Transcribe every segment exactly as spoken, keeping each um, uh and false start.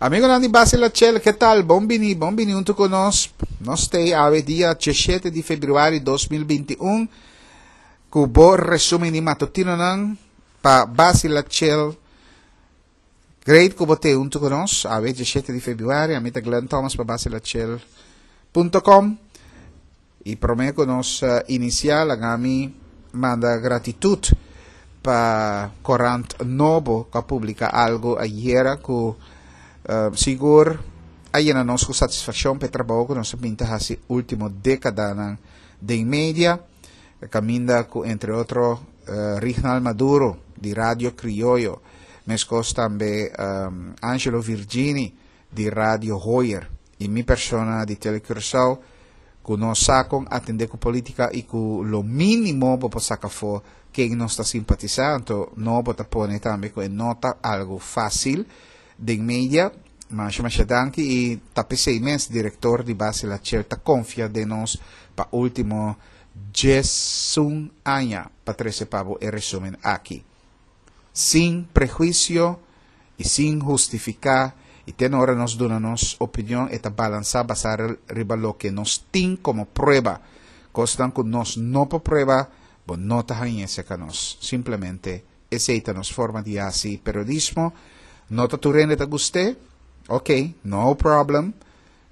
Amigonan di Basila Chel, ke tal? Bon bini, bon bini huntu ku nos. Nos ta awe dia diesshete di febrüari dos mil binti un, ku bo resumen di matutinonan pa Basila Chel. Great ku bo ta huntu ku nos, awe diesshete di febrüari. Ami ta Glenn Thomas pa Basila Chel punto com. I promé ku nos uh, inisiá, laga mi manda gratitut pa Korant Nobo, ku a publiká algu ayera ku uh, sigur a yena nos ku satisfakshon pa e trabou ku nos a bin ta hasi último dékadanan den media, kaminda ku entre otro uh, Rignald Maduro di Radio Krioyo, meskos tambe um, Angelo Virgini di Radio Hoyer i mi persona di Telecuraçao, ku nos sa kon atendé ku polítika i ku lo mínimo bo por saka afó ken nos ta simpatisá. Anto Nobo ta pone tambe ku e no ta algu fásil den media. Masha masha danki i ta p'esei mes direktor di Basila Chel ta konfia den nos pa último diesun aña pa trese pa bo e resumen aki. Sin prehuisio i sin hustifiká, i te ora nos duna nos opinion e ta balansá, basá riba loke nos tin komo prueba. Kosnan ku nos no por prueba, bo no ta haña serka nos. Simplemente esei ta nos forma di hasi periodismo. No ta tur hende ta gust'é, ok, no problem,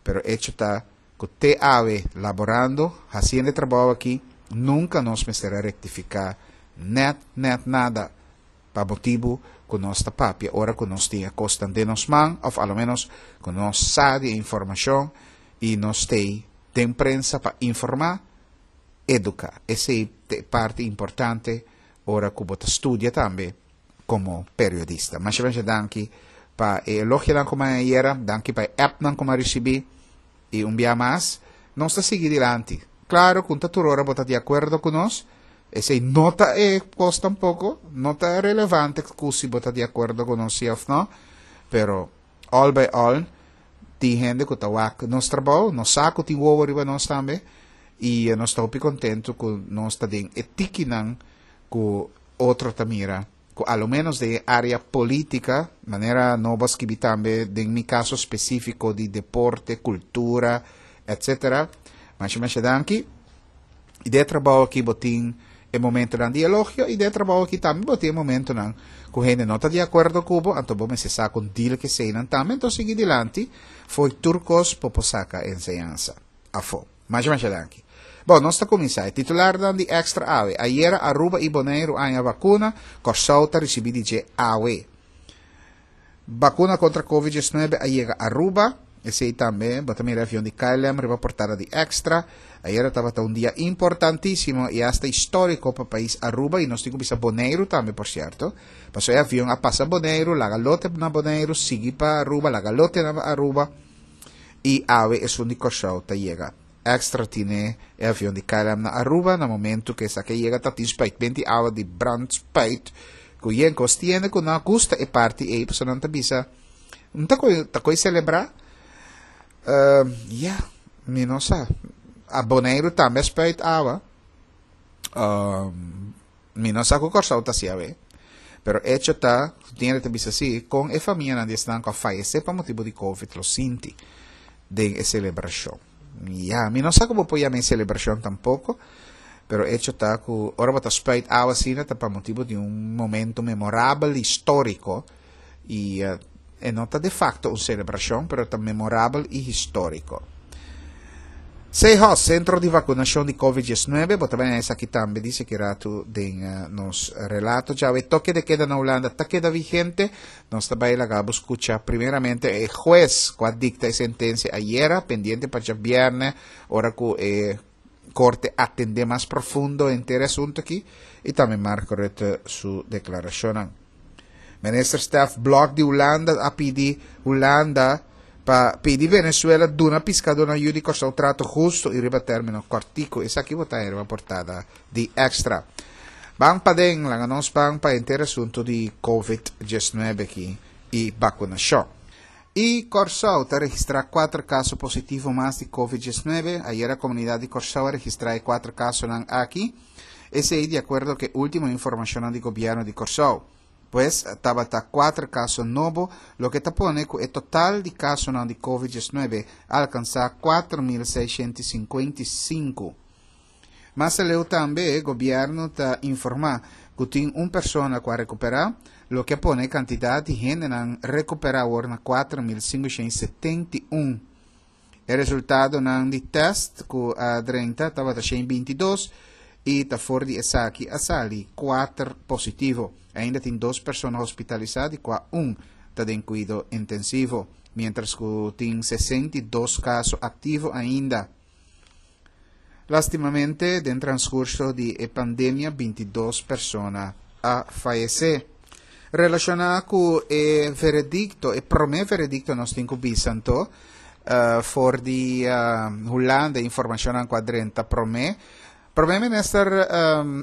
pero hecho ta ku te awe laborando, hasiendo e trabou aki, nunka nos mester a rektifiká net, net nada, pa motibu ku nos ta papia ora ku nos tin e kosnan den nos man, òf a lo ménos ku nos sa di e informashon i nos t'ei den prensa pa informá, eduká. Esei ta e parti importante ora ku bo ta studia tambe komo periodista. Masha masha danki pa e elogionan ku mi a haña, danki pa e appnan ku mi a risibí i un bia mas, nos ta sigui dilanti. Klaro ku no ta tur ora bo ta di akuerdo ku nos, esei no ta e kos tampoko, no ta relevante ku si bo ta di akuerdo ku nos si òf no, pero all by all, tin hende ku ta wak nos trabou, nos sa ku tin wowo riba nos tambe, i nos ta hopi kontentu ku nos ta den e tikinan ku otro ta mira, ku a lo ménos den e área polítika, manera Nobo a skibi tambe den mi kaso spesífiko di deporte, kultura, etcétera. Masha masha danki. I den e trabou aki bo tin e momentonan di elogio i den e trabou aki tambe bo tin e momentonan ku hende no ta di akuerdo ku bo, anto bo mester sa kon deal ku eseinan tambe, anto sigui dilanti, fo'i tur kos bo por saka enseñansa afó. Masha masha danki. Bon, nos ta kuminsá. E titularnan di Extra awe. Ayera Aruba i Boneiru a haña bakuna, Kòrsou ta risibí di dje awe. Bakuna kontra Covid diesnuebe a yega Aruba, esei tambe bo ta mira e avion di K L M riba portada di Extra. Ayera tabata un dia importantísimo i asta históriko pa pais Aruba i nos tin ku bisa Boneiru tambe por sierto, pasobra e avion a pasa Boneiru, laga lote na Boneiru, sigui pa Aruba, laga lote na Aruba i awe esun di Kòrsou ta yega. Extra tine e avion di K L M na Aruba na momento ku esaki a yega ta tin spuitment di awa di brandspuit ku yen kos tiene ku no a gusta e parti ei pasobra nan ta bisa no ta koe ta koe selebrá. Ehm, ya, mi no sa. A Boneiru tambe a spuit awa. Ehm, mi no sa ku Kòrsou ta hasi awe. Pero echo ta, tin ta bisa si, kon e famianan di esnan ku a fayesé pa motibu di Covid lo sinti den e selebrashon. Ya, mi no sa ku bo por yama e selebrashon tampoko, pero echo ta ku ora bo ta spuit awa asina ta pa motibu di un momento memorabel, históriko, i e no ta de facto un selebrashon, pero ta memorabel i históriko. Sehos, Sentro di Vakunashon di Covid diesnuebe, bo ta bai esaki tambe di seki ratu den nos relato. Djawe toke de keda na Hulanda ta keda vigente. Nos ta bai laga bo skucha primeramente e hues ku a dikta e sentensia ayera, pendiente pa djabièrnè ora ku e korte atendé mas profundo henter e asuntu aki, i tambe Mark Rutte su deklarashonnan. Minister Stef Blok di Hulanda a pidi Hulanda pa pidi Venezuela duna piskadónan yu di Kòrsou trato hustu i riba término kòrtiku. Esaki bo ta haña riba portada di Extra. Ban paden, laga nos ban pa henter asuntu di Covid diesnuebe aki i bakunashon. I Kòrsou ta registrá kuater kaso positivo mas di Covid diesnuebe. Ayera komunidat di Kòrsou a registrá e kuater kasonan aki. Esei di akuerdo ku e último informashonnan di gobièrnu di Kòrsou. Pues tabata kuater kaso nobo, loke ta pone ku e total di kasonan di Covid diesnuebe a alkansá kuater mil seishent i sinkuenta i sinku. Mas aleu tambe gobièrnu ta informá ku tin un persona ku a rekuperá, loke a pone e kantidat di hendenan rekuperá awor na kuater mil sinkushent i setenta i un. E resultadonan di tèst ku a drenta tabata shen binti dos i ta for di esaki a sali kuater positivo. Ainda tin dos persona hospitalisá, di kua un ta den kuido intensivo, miéntras ku tin sesenta i dos kaso aktivo ainda. Lástimamente, den transkurso di e pandemia binti dos persona a fayesé. Relashoná ku e veredikto, e promé veredikto nos tin ku bisa anto, for di Hulanda e informashonnan ku a drenta promé. Promé Minister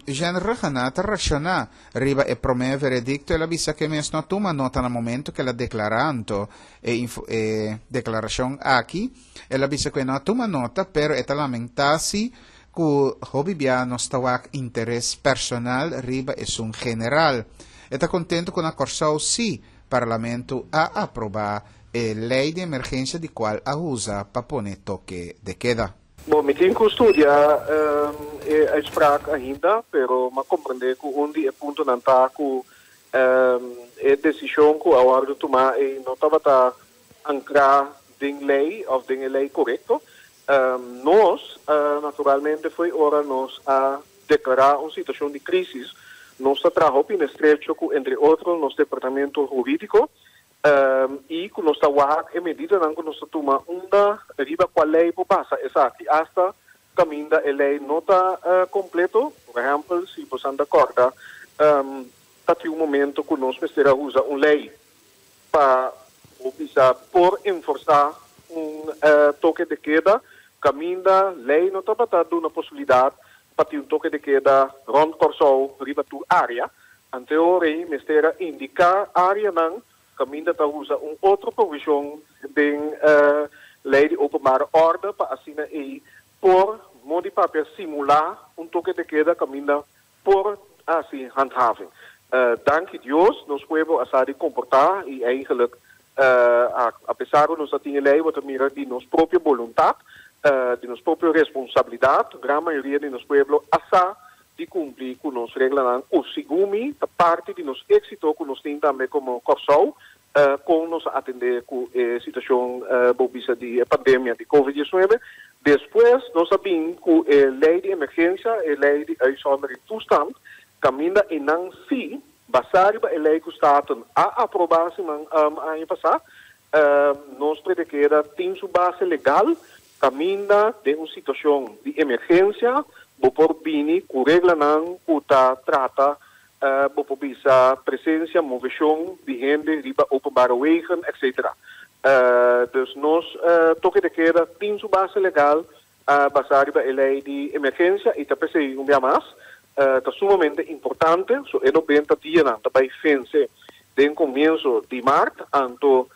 Eugène Rhuggenaath a reakshoná riba e promé veredikto. El a bisa ku e mes no a tuma nota na momento ku el a deklará anto e e deklarashon aki. El a bisa ku e no a tuma nota, pero e ta lamentá si ku hopi bia nos ta wak interes personal riba esun general. E ta kontentu ku na Kòrsou si Parlamento a aprobá e lei di emergensia di kual a usa pa pone toke de keda. Bon, mi tin ku studia e uitspraak ainda, pero m'a komprendé ku un di e puntonan ta ku e desishon ku a wòrdu tumá ei no tabata ankrá den lei òf den e lei korekto. Nos, naturalmente, fo'i ora nos a deklará un situashon di krísis, nos ta traha hopi estrecho ku, entre otro, nos departamento hurídiko, i ku nos ta wak e medidanan ku nos ta tuma unda riba kua lei por basa esaki, asta kaminda e lei no ta kompleto. Por ehèmpel, si boso ta kòrda, ta tin un momento ku nos mester a usa un lei pa bisa por enforsá un toke de keda, kaminda lei no tabata duna posibilidat pa tin un toke de keda rònt Kòrsou riba tur área. Anto rei mester a indiká áreanan kaminda ta usa un otro provishon den lei di openbare orde pa asina ei por modi papia simulá un toke de keda kaminda por hasi handhaving. Danki Dios nos pueblo a sa di komportá i eigenlijk apesar ku nos a tin e lei bo ta mira di nos propio boluntat, di nos propio responsabilidat, gran mayoria di nos pueblo a sa di kumpli ku nos reglanan ku segun mi ta parti di nos éksito ku nos tin tambe komo Kòrsou kon nos a atendé ku e situashon bo bisa di e pandemia di covid diesnuebe. Despues nos a bin ku e lei di emergensia, e lei di uitzondering toestand, kaminda einan sí, basá riba e lei ku Staten a aprobá siman aña pasá, nos predikeda tin su base legal kaminda den un situashon di emergensia bo por bini ku reglanan ku ta trata bo por bisa presensia, moveshon di hende riba openbare wegen, etcétera. Dus nos toke de keda tin su base legal basá riba e lei di emergensia i ta p'esei un bia mas ta sumamente importante. So e nobenta dianan ta bai vense den komienso di mart, anto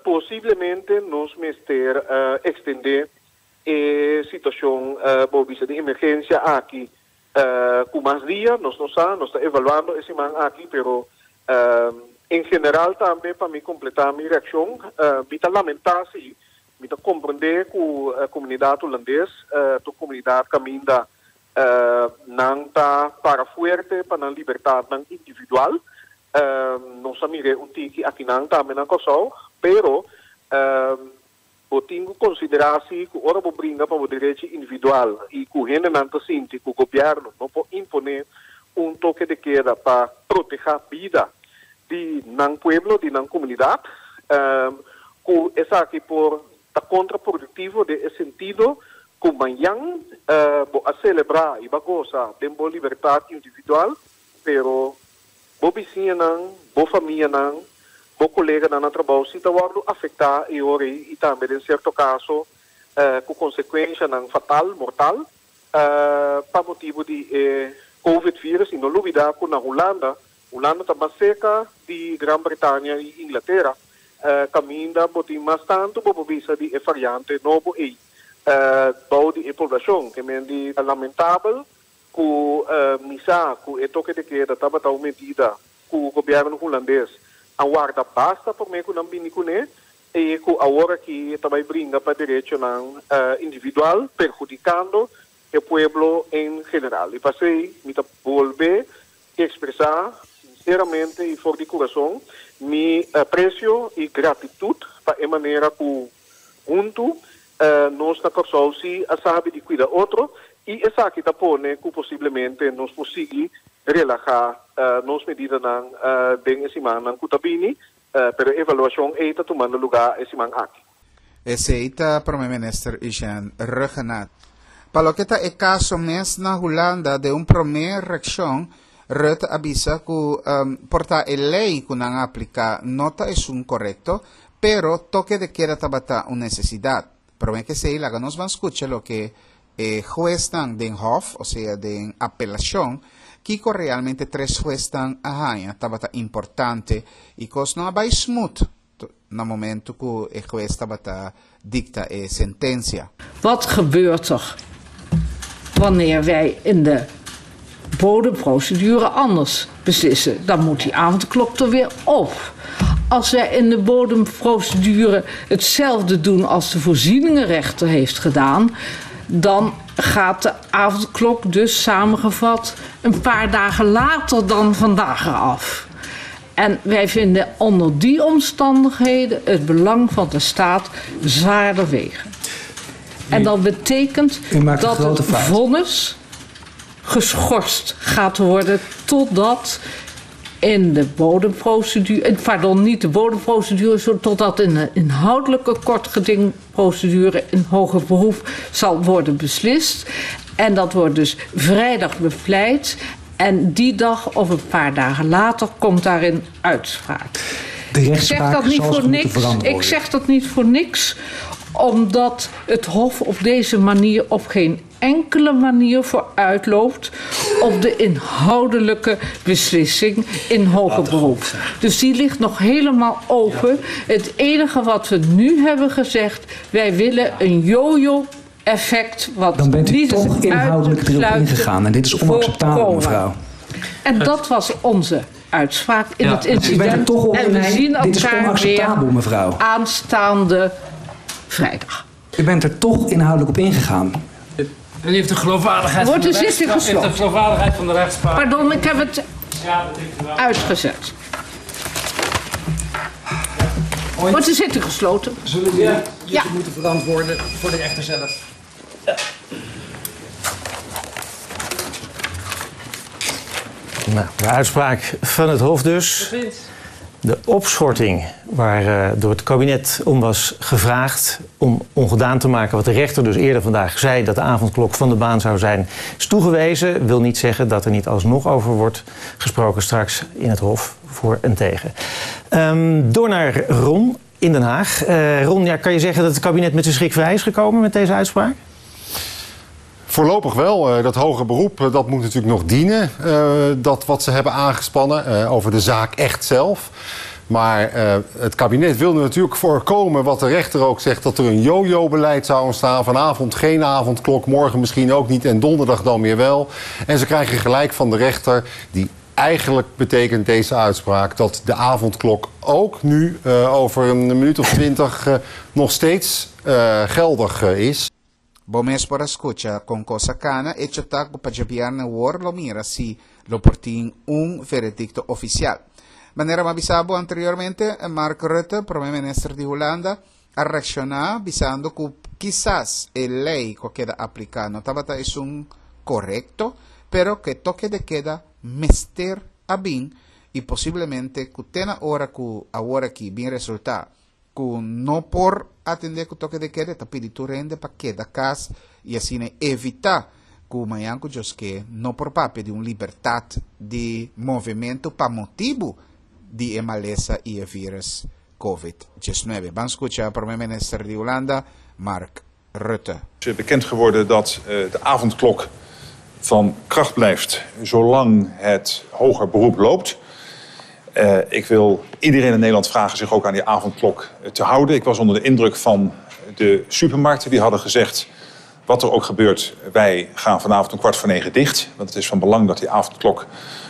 posiblemente nos mester ekstendé e situashon bo bisa di emergensia aki ku mas dia. Nos no sa, nos ta evaluando e siman aki, pero en general tambe pa mi kompletá mi reakshon, mi ta lamentá si, mi ta komprendé ku komunidat hulandes ta un komunidat kaminda nan ta para fuerte pa nan libertatnan individual. Nos a mir'é un tiki akinan tambe na Kòrsou, pero bo tin ku konsiderá si ku ora bo bringa pa bo derechi individual i ku hendenan ta sinti ku gobièrnu no por imponé un toke de keda pa protehá bida di nan pueblo, di nan komunidat, ku esaki por ta kontraproduktivo den e sentido ku mañan bo a selebrá i bo a gosa den bo libertat individual, pero bo bisiñanan, bo famianan, bo koleganan na trabou si ta wòrdu afektá e ora ei i tambe den sierto kaso ku konsekuenshanan fatal, mortal, pa motibu di e Covid virus. I no lubidá ku na Hulanda, Hulanda ta mas serka di Gran Bretania i Inglatera, kaminda bo tin mas tantu bo por bisa di e variante nobo ei bou di e poblashon. Ke men di ta lamentabel ku mi sa ku e toke de keda tabata un medida ku gobièrnu hulandes a warda basta promé ku nan bini kuné i ku awor aki ta bai bringa pa derechonan uh, individual, perhudikando e pueblo en general. I p'esei, mi ta bolbe ekspresá sinseramente i for di kurason mi apresio i gratitut pa e manera ku huntu uh, nos na Kòrsou si a sabi di kuida otro i esaki ta pone ku posiblemente nos por sigui relahá uh, nos medidanan uh, den e simannan ku ta bini, uh, pero evaluashon ei ta tumando lugá e siman aki. Esei ta Promé Minister Eugene Rhuggenaath. Pa loke ta e kaso mes na Hulanda, den un promé reakshon, Rutte a bisa ku um, por ta e lei ku nan a apliká no ta esun korekto, pero toke de queda tabata un nesesidat. Pero ku esei, laga nos ban skucha loke eh, huesnan den Hof, o sea, den apelashon, kiko realmente tres huesnan a haña tabata importante i kos no a bai smooth na momento ku e hues tabata dikta e sentensia. Wat gebeurt er wanneer wij in de bodemprocedure anders beslissen? Dan moet die avondklok er weer op. Als wij in de bodemprocedure hetzelfde doen als de voorzieningenrechter heeft gedaan, dan gaat de avondklok dus samengevat een paar dagen later dan vandaag eraf. En wij vinden onder die omstandigheden het belang van de staat zwaarder wegen. En dat betekent dat het vonnis geschorst gaat worden totdat in de bodemprocedure, pardon, niet de bodemprocedure, totdat in de inhoudelijke kortgedingprocedure in hoger beroep zal worden beslist. En dat wordt dus vrijdag bepleit. En die dag of een paar dagen later komt daarin uitspraak. De Ik zeg rechtspraak dat niet zal voor zich moeten niks. verantwoorden. Ik zeg dat niet voor niks, omdat het Hof op deze manier op geen enkele manier vooruitloopt op de inhoudelijke beslissing in hoger beroep. Dus die ligt nog helemaal open. Het enige wat we nu hebben gezegd, wij willen een yo-yo-effect wat Dan bent u niet is toch inhoudelijk uit te erop sluiten ingegaan. En dit is onacceptabel, voorkomen. mevrouw. En dat was onze uitspraak in Ja. het U bent er incident. toch op En we zien Dit is elkaar onacceptabel, weer mevrouw. aanstaande vrijdag. U bent er toch inhoudelijk op ingegaan. U heeft de geloofwaardigheid Wordt van de de zitting rechtspraak- heeft gesloten? de geloofwaardigheid van de rechtspraak. Pardon, ik heb het Ja, dat heeft u wel. uitgezet. Wordt de zitting gesloten? Zullen jullie Ja. je moeten verantwoorden voor de rechter zelf? Nou, de uitspraak van het Hof dus. De opschorting waar eh, door het kabinet om was gevraagd om ongedaan te maken wat de rechter dus eerder vandaag zei dat de avondklok van de baan zou zijn, is toegewezen. Wil niet zeggen dat er niet alsnog over wordt gesproken straks in het Hof voor en tegen. Ehm, door naar Ron in Den Haag. Eh, Ron, ja, kan je zeggen dat het kabinet met zijn schrik vrij is gekomen met deze uitspraak? Voorlopig wel. Eh, Dat hoger beroep eh, dat moet natuurlijk nog dienen. eh, Dat wat ze hebben aangespannen eh, over de zaak echt zelf. Maar eh, het kabinet wilde natuurlijk voorkomen wat de rechter ook zegt, dat er een yo-yo-beleid zou ontstaan. Vanavond geen avondklok, morgen misschien ook niet en donderdag dan weer wel. En ze krijgen gelijk van de rechter, die eigenlijk betekent deze uitspraak dat de avondklok ook nu eh, over een minuut of twintig eh, nog steeds eh, geldig eh, is. Bo mes por a skucha kon kos a kana, hecho ta ku pa djabièrnè awor lo mira si lo por tin un veredikto ofisial. Manera m'a bisa bo anteriormente, Mark Rutte, promé minister di Hulanda, a reakshoná bisando ku kisas e lei ku a keda apliká no tabata esun korekto, pero ku toke de queda mester a bin i posiblemente ku te na ora ku awor aki bin resultá ku no por atendé ku toke de queda, ta pidi tur hende pa keda kas i asina evitá ku mañan ku Dios ke no por papia di un libertat di movementu pa motibu di e malesa i e virus COVID diesnuebe. Ban skucha promé minister di Hulanda, Mark Rutte. Het is bekend geworden dat eh, de avondklok van kracht blijft zolang het hoger beroep loopt. Eh, ik wil iedereen in Nederland vragen zich ook aan die avondklok te houden. Ik was onder de indruk van de supermarkten. Die hadden gezegd Wat er ook gebeurt, wij gaan vanavond om kwart voor negen dicht. Want het is van belang dat die avondklok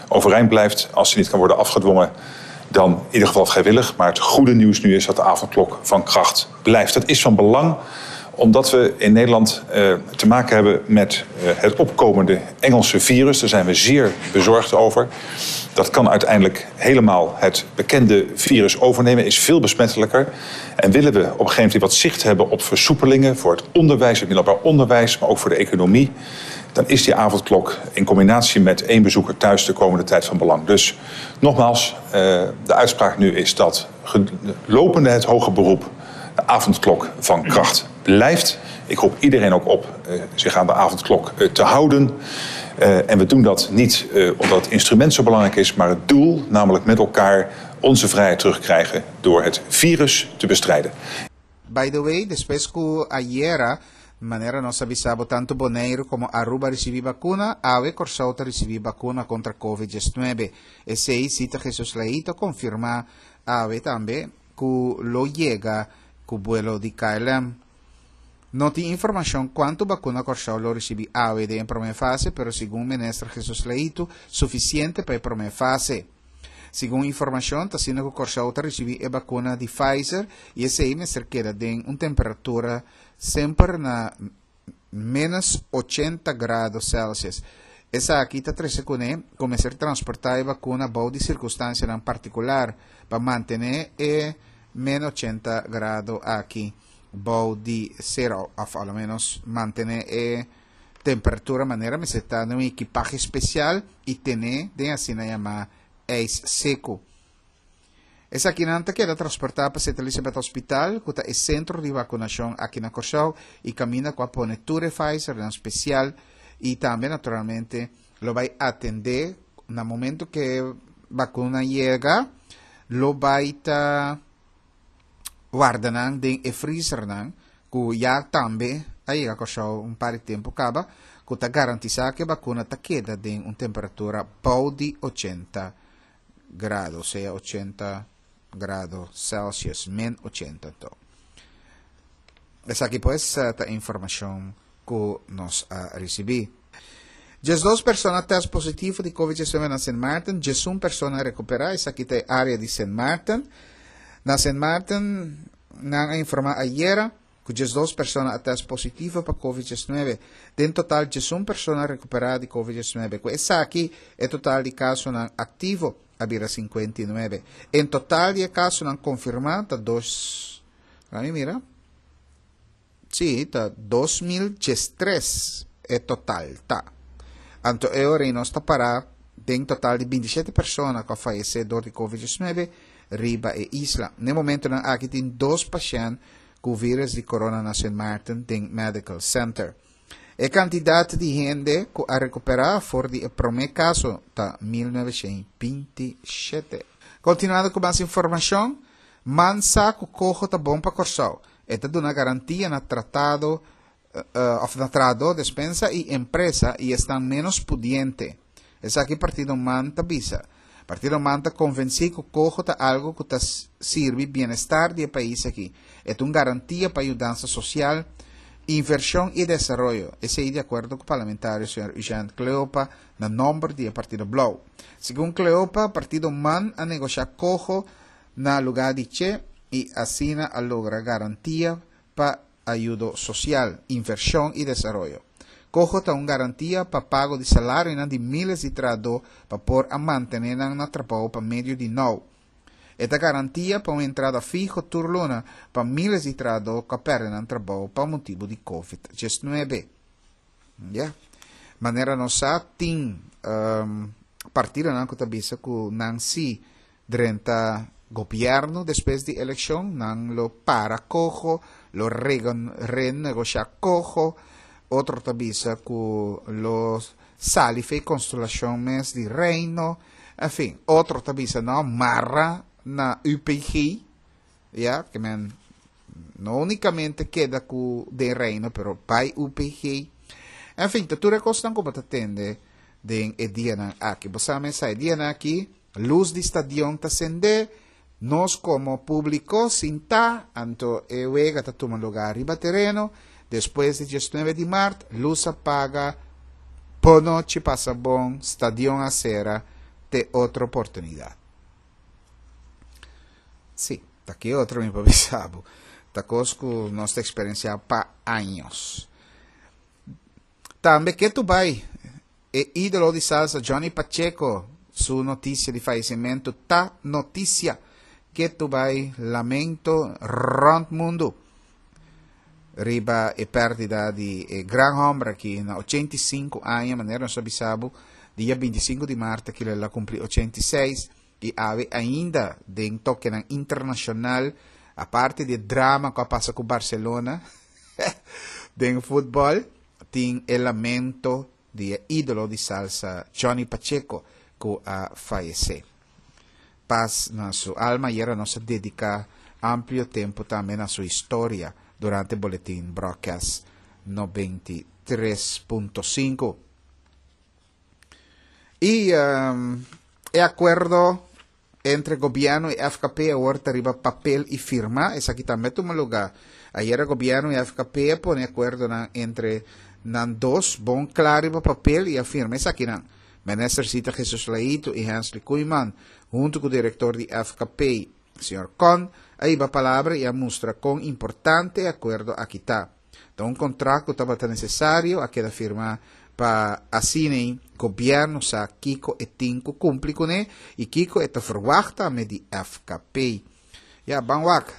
overeind blijft. Als die niet kan worden afgedwongen, dan in ieder geval vrijwillig. Maar het goede nieuws nu is dat de avondklok van kracht blijft. Dat is van belang omdat we in Nederland eh, te maken hebben met eh, het opkomende Engelse virus. Daar zijn we zeer bezorgd over. Dat kan uiteindelijk helemaal het bekende virus overnemen, is veel besmettelijker. En willen we op een gegeven moment wat zicht hebben op versoepelingen voor het onderwijs, het middelbaar onderwijs, maar ook voor de economie, dan is die avondklok in combinatie met één bezoeker thuis de komende tijd van belang. Dus nogmaals, eh, de uitspraak nu is dat lopende het hoger beroep de avondklok van kracht blijft. Ik roep iedereen ook op eh, zich aan de avondklok eh, te houden. Uh, en we doen dat niet uh, omdat het instrument zo belangrijk is, maar het doel, namelijk met elkaar onze vrijheid terugkrijgen door het virus te bestrijden. By the way, despues ku ayera, manera nos a bisa bo, tantu Boneiru komo Aruba a risibí vakuna, awe Kòrsou ta risibí vakuna kontra COVID diesnuebe. Esei Zita Jesus Leito a konfirmá awe tambe ku lo yega ku vuelo di K L M. No tin informashon kuantu vakuna Kòrsou lo risibí awe den promé fase, pero segun minister Jesus Leito, sufisiente pa e promé fase. Segun informashon, ta asina ku Kòrsou ta risibí e vakuna di Pfizer i esei mester keda den un temperatura semper na ménos ochenta grado Celsius. Esaki ta trese kuné kuminsá transportá e vakuna bou di sirkunstansianan partikular pa mantené e ménos ochenta grado aki bou di sero, òf al menos mantené e temperatura manera mester ta un ekipahe spesial i tene den asina yamá ijs seku. Esakinan ta keda transportá pa Saint Elizabeth Hospital, ku ta e sentro di vakunashon aki na Kòrsou i kaminda ku a pone tur Pfizer na spesial i tambe naturalmente lo bai atendé na momento ku vakuna yega, lo bai ta warda nan den e freezer nan ku ya tambe a yega Kòrsou un par di tempu kaba, ku ta garantisá ku e vakuna ta keda den un temperatura bou di ochenta grado, sea ochenta grado Celsius, min ochenta to. Esaki pues ta informashon ku nos a risibí. Diesdos persona test positivo di COVID diesnuebe na Saint Martin, diesun persona rekuperá, esaki ta área di Saint Martin. Na Saint Martin, nan a informá ayera ku diesdos persona a test positivo pa COVID diesnuebe. Den total, diesun persona a rekuperá di COVID diesnuebe. Ku esaki, e total di kasonan aktivo a bira sinkuenta i nuebe. En total, e kasonan konfirmá ta dos. Laga mira. Si, ta dos mil diestres e total, ta. Anto, e ora nos ta para den total di binti shete persona ku a fayesé dor di COVID diesnuebe riba e isla. Na momentonan aki tin dos pashènt ku vírùs di corona na Saint Martin den Medical Center. E kantidat di hende ku a rekuperá for di e promé kaso ta mil noveshentosbinti shete. Kontinuando ku mas informashon, MAN sa ku Coho ta bon pa Kòrsou. E ta duna garantia na tratado uh, òf na trahadó, despensa i empresa i esnan ménos pudiente. Esaki partido MAN ta bisa. Partido MAN ta konvensí ku Coho ta algu ku ta sirbi bienestar di e pais aki. E ta un garantia pa yudansa sosial, invershon i desaroyo. Esei di akuerdo ku parlamentario señor Eugene Cleopa na nòmber di Partido Blou. Segun Cleopa, Partido MAN a negoshá Coho na lugá di Che i asina a logra garantia pa ayudo sosial, invershon i desaroyo. Coho ta un garantia pa pago di salario di míles di trahadó pa por a mantené nan na trabou pa medio di now. E ta garantia pa un entrada fiho tur luna pa míles di trahadó ku a pèrdè nan trabou pa motibu di COVID diesnuebe. Yeah. Manera nos sa tin um, partidonan ku ta bisa ku nan si drenta gobièrnu despues di elekshon, nan lo para Coho, lo renegoshá Coho, otro ta bisa ku lo sali fo'i konstelashon mes di reino, en fin, otro ta bisa no, mara na U P G, ya, ke men no únikamente keda ku den reino, pero bai U P G. En fin, tur e kosnan ku bo ta tende den e dianan aki. Bo sa e dianan aki, lus di stadion ta sende, nos komo públiko sinta, anto e wega ta tuma lugá riba tereno. Despues di diesnuebe di mart, lus a paga, bon nochi, pasa bon, stadion a sera, te otro oportunidat. Sí, ta ki otro mi por bisa bo. Ta kos ku nos ta eksperensiá pa años. Tambe ketu bai e ídolo di salsa Johnny Pacheco su notisia di fayesimentu ta notisia ketu bai lamento rònt mundu riba e pèrdida di e gran hòmber aki na ochenta i sinku aña, manera nos a bisa bo dia binti i sinku di mart aki el a kumpli ochenta i seis i awe ainda den tokenan internashonal aparte di e drama ku a pasa ku Barcelona den futbòl tin e lamento di e ídolo di salsa Johnny Pacheco ku a fayesé. Pas na su alma i era nos a dediká amplio tempu tambe na su historia durante Boletin Broadcast noventa i tres punto sinku. I e akuerdo entre gobièrnu i F K P awor ta riba papel i firmá. Esaki tambe tuma lugá. Ayera gobièrnu i F K P a pone akuerdonan entre nan dos bon kla riba papel i a firma esakinan. Minister Zita Jesus Leito i Hensley Koeiman, huntu ku direktor di F K P, señor Kon, a hiba palabra i a mustra kon importante e akuerdo aki ta. Ta un kontrakt ku tabata nesesario a keda firmá pa asina gobièrnu sa kiko e tin ku kumpli kuné i kiko e ta ferwagt tambe di F K P. Ya, ban wak,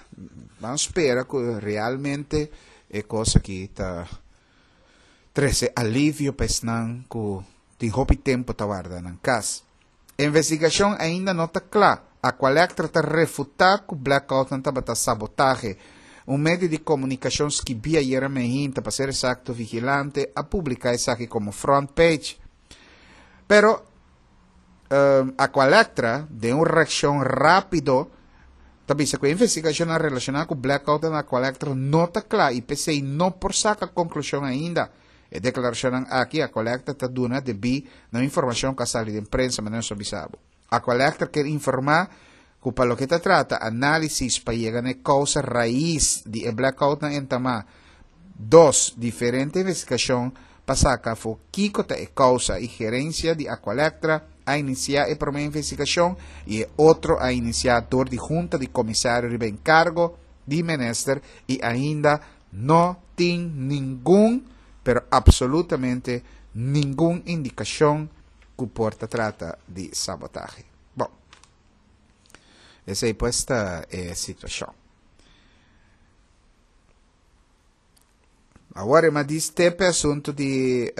ban spera ku realmente e kos aki ta trese alivio pa esnan ku tin hopi tempu ta warda nan kas. Investigashon ainda no ta kla. Aqualectra ta refutá ku blackoutnan tabata sabotahe. Un medio di komunikashon skibí ayera mehinta, pa ser eksakto Vigilante, a publiká esaki komo front page. Pero Aqualectra, den un reakshon rápido, ta bisa ku e investigashonnan relashoná ku blackoutnan na Aqualectra no ta kla i p'esei no por saka konklushon ainda. E deklarashonnan aki Aqualectra ta duna debí na un informashon ku a sali den prensa, manera nos a bisa bo. Aqualectra kier informá ku pa loke ta trata análisis pa yega na e kousa rais di e blackoutnan entamá dos diferente investigashon pa saka afó kiko ta e kousa i gerensia di Aqualectra a inisiá e promé investigashon i e otro a inisiá dor di Hunta di Komisario riba enkargo di minister i ainda no tin ningun pero absolutamente ningun indikashon ku por ta trata di sabotahe. Bon, esei pues ta e situashon. Awor e ma dis te pe asuntu di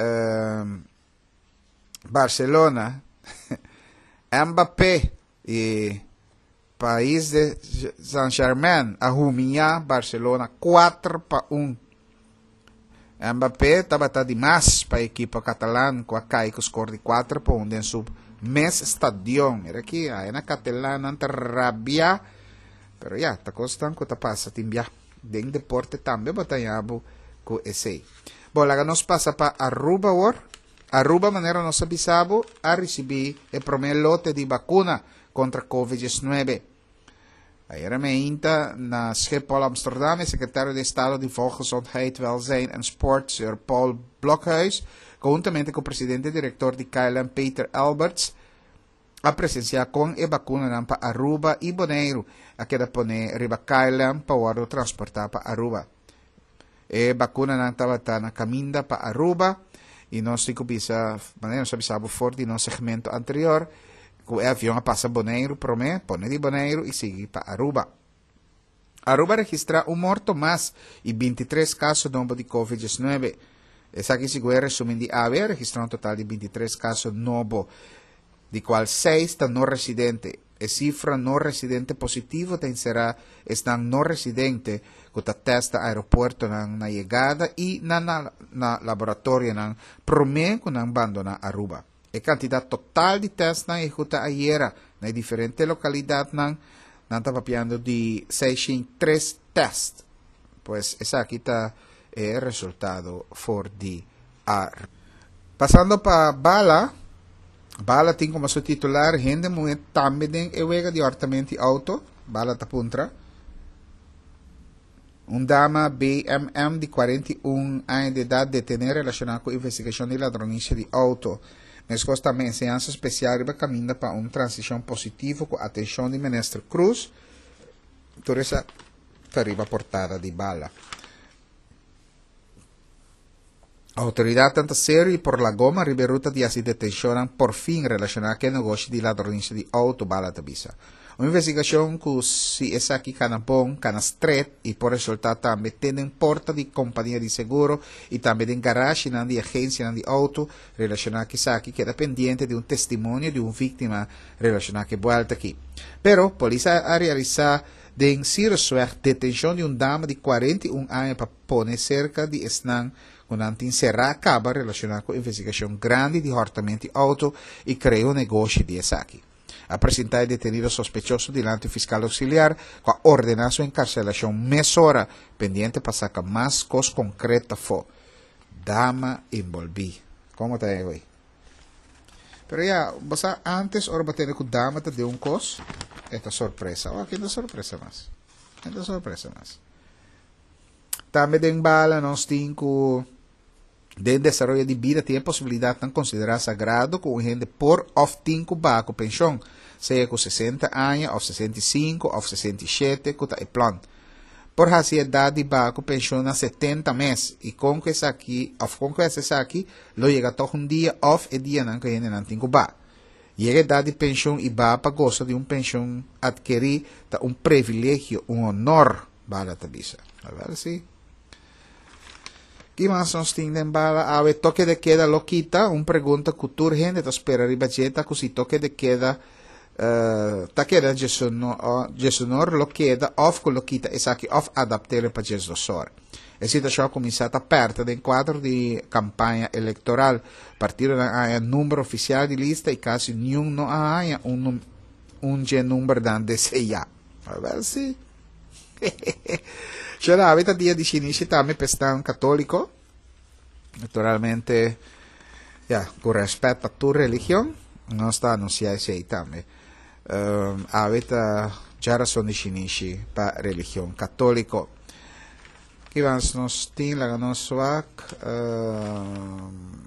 Barcelona, Mbappé i Paris de Saint-Germain a humiá Barcelona kuater pa un. Mbappé tabata di mas pa ekipo katalan ku a kai ku skor di kuater pa un den su mes stadion. Mira aki, ae na katalannan ta rabia, pero ya, ta kosnan ku ta pasa tin bia. Den deporte tambe bo ta haña bo ku esei. Bo, laga nos pasa pa Aruba awor. Aruba, manera nos a bisa bo, a risibí e promé lote di bakuna kontra covid diesnuebe. Ayera meinta na Schiphol, Amsterdam, e sekretario di Estado di Volksgezondheid, Welzijn en Sport, señor Paul Blokhuis, konhuntamente ku presidente direktor di K L M, Peter Alberts, a presensiá kon e bakunanan pa Aruba i Boneiru a keda pone riba K L M pa wòrdu transportá pa Aruba. E bakunanan tabata na kaminda pa Aruba i nos tin ku bisa, manera nos a bisa bo for di nos segmento anterior, ku e avion a pasa Boneiru promé, pone di Boneiru i sigui pa Aruba. Aruba a registrá un morto mas i bintitres kaso nobo di covid diesnuebe. Esaki segun e resumen di awe a registrá un total di bintitres kaso nobo, di kual seis ta no residente. E sifra no residente positivo ta enserá esnan no residente ku ta tèst na aeropuertonan na yegada i na na laboratorionan promé ku nan bandoná Aruba. E kantidat total di tèstnan ehekutá ayera na e diferente lokalidatnan, nan ta papiando di seishent tres tèst. Pues esaki ta e resultado for di Aruba. Pasando pa Bala, Bala tin komo su titular hende muhé tambe den e wega di hòrtamento di outo. Bala ta puntra. Un dama B M M di kuarenta i un aña di edat detené relashoná ku investigashon di ladronisia di outo. Meskos tambe enseñansa spesial riba kaminda pa un transishon positivo ku atenshon di Minister Croes. Tur esaki ta riba portada di Bala. Outoridatnan ta serio i por la goma riba ruta di hasi detenshon por fin relashoná ku e negoshi di ladronisia di outo, Bala ta bisa. Un investigashon ku si esaki kana bon, kana stret i por resultá tambe te den porta di kompania di seguro i tambe den garage di agensia di outo relashoná ku esaki keda pendiente di un testimonio di un víktima relashoná ku e buelta aki. Pero polis a realisá den Cyrusweg detenshon di un dama di kuarenta i un aña pa pone serka di esnan ku nan tin será kaba relashoná ku investigashon grandi di hòrtamentu di outo i krea un negoshi di esaki. A presentá e detenido sospechoso dilanti fiskal ousiliar ku a ordená su enkarselashon mesora, pendiente pa saka mas kos konkreto afó. Dama enbolbí. Kon ta ei? Pero ya, bo antes ora bo tende ku dama ta den un kos, e ta sorpresa. Oh, aki ta sorpresa mas. Ta sorpresa mas. Tambe den Bala nos tin ku den desaroyo di bida tin posibilidat ta konsiderá sagrado ku hende por òf tin ku baha ku penshon, sea ku sesenta aña, òf sesenta i sinku, òf sesenta i shete, ku ta e plan. Por hasi edat di baha ku penshon na setenta mes, i kon ku esaki, òf kon ku esaki, lo yega toch un dia òf e dianan ku hende nan tin ku baha. Yega edat di penshon i baha pa gosa di un penshon atkerí ta un privilegio, un honor, Bala ta bisa. Awèl si. Ki mas nos tin den Bala? Awe toke de keda lo kita, un pregunta ku tur hende ta spera riba dje ta ku si toke de keda uh, ta keda diesun or lo keda òf ku lo kita esaki òf adapt'é pa diesdos or. E situashon a kuminsá ta pèrta den kuadro di kampaña elektoral. Partidonan a haña number ofisial di lista i kasi ningun no a haña un un number nan deseá. Awèl si. Xera, awe ta dia di shinishi tambe pa esnan katóliko. Naturalmente, ja, ku rèspèt pa tur religion, nos ta anunsiá esei tambe. Um, awe ta djarason di shinishi pa religion katóliko. Ki mas nos tin laga nos wak. Um,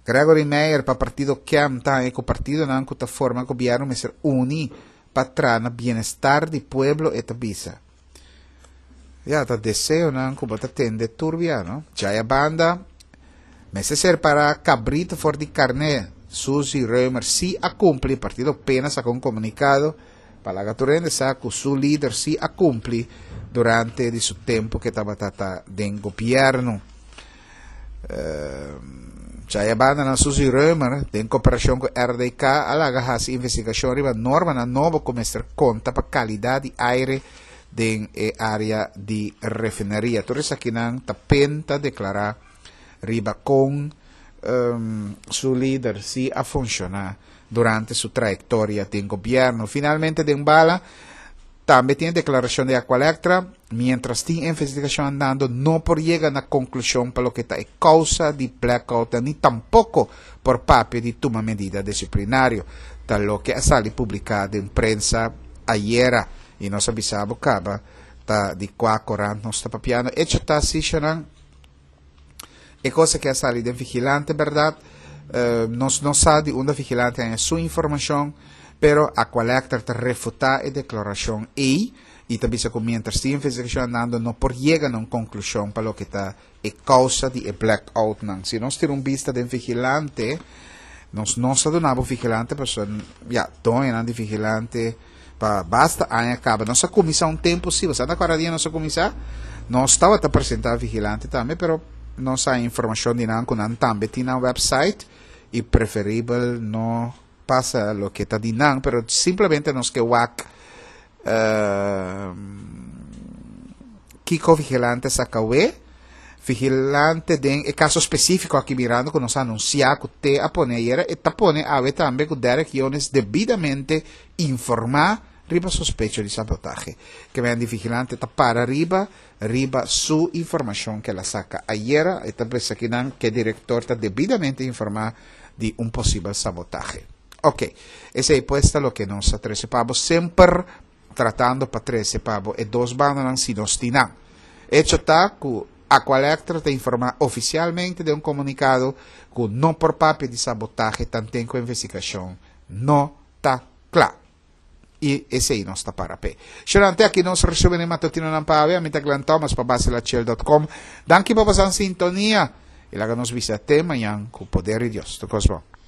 Gregory Meyer pa partido K E M ta ku partidonan ku ta forma gobièrnu mester uni pa traha bienestar di pueblo, e ta bisa. Ja, ta deseonan ku bo ta tende tur bia, no? Djaya banda, mester separá kabritu for di karné. Suzy Römer si a kumpli, partido P N a saka un komunikado pa laga tur hende sa ku su lider si a kumpli durante di su tempu ku tabata den gobièrnu. Uh, Djaya banda na Suzy Römer, den kooperashon ku R D K, a laga hasi investigashon riba normanan nobo ku mester konta pa kalidat di aire den e área di refineria. Tur esakinan ta P N ta deklará riba kon um, su lider si a funshoná durante su trayektoria den gobièrnu. Finalmente, den Bala, tambe tin deklarashon di Aqualectra, mientras tin investigashon andando, no por yega na konklushon pa loke ta e kousa di blackout, ni tampoko por papia di tuma medida disiplinario. Ta loke a sali publiká den prensa ayera i nos a bisa bo kaba ta di kua korant nos ta papiando. Echo ta asina, e kos ku a sali di Vigilante, berdat? Uh, nos no sa di unda Vigilante a su informashon, pero Aqualectra ta refutá e deklarashon ei i tambe ku mientras tin investigashon andando no por yega na un konklushon pa loke ta e kousa di e blackout nan. Si nos tin un bista di Vigilante, nos no sa duna Vigilante, pero ja, doño di Vigilante pa basta aña kaba. Nos a kuminsá un tempu, si, bo sa kua dia nos a kuminsá, nos tabata presentá Vigilante tambe, pero nos a informashon di nan ku nan tambe tin na website i preferibel no pasa loke ta di nan, pero simplemente nos ke wak uh, kiko Vigilante a saka awe. Vigilante den e kaso spesífiko aki mirando ku nos a anunsiá ku te a pone ayera i ta pone awe tambe ku Derek Jones debidamente informá riba sospecho di sabotahe. Ke men di Vigilante ta para riba riba su informashon ku el a saka ayera i ta pensa ku nan ku direktor ta debidamente informá di un posibel sabotahe. Ok, esei pues ta loke nos a trese pa bo semper. Tratando pa trese pa bo e dos bandanan si nos tin nan. Hecho ta ku Aqualectra ta informá ofisialmente den un komunikado ku no por papia di sabotahe tanten ku investigashon no ta kla. I esei nos ta para p'e. Shonnan, te aki nos resumen e matutinonan pa awe. Ami ta Glenn Thomas pa Baselachel dot com. Danki pa boso sintonia i laga nos bisa te mañan ku poder di Dios. Tur kos bon.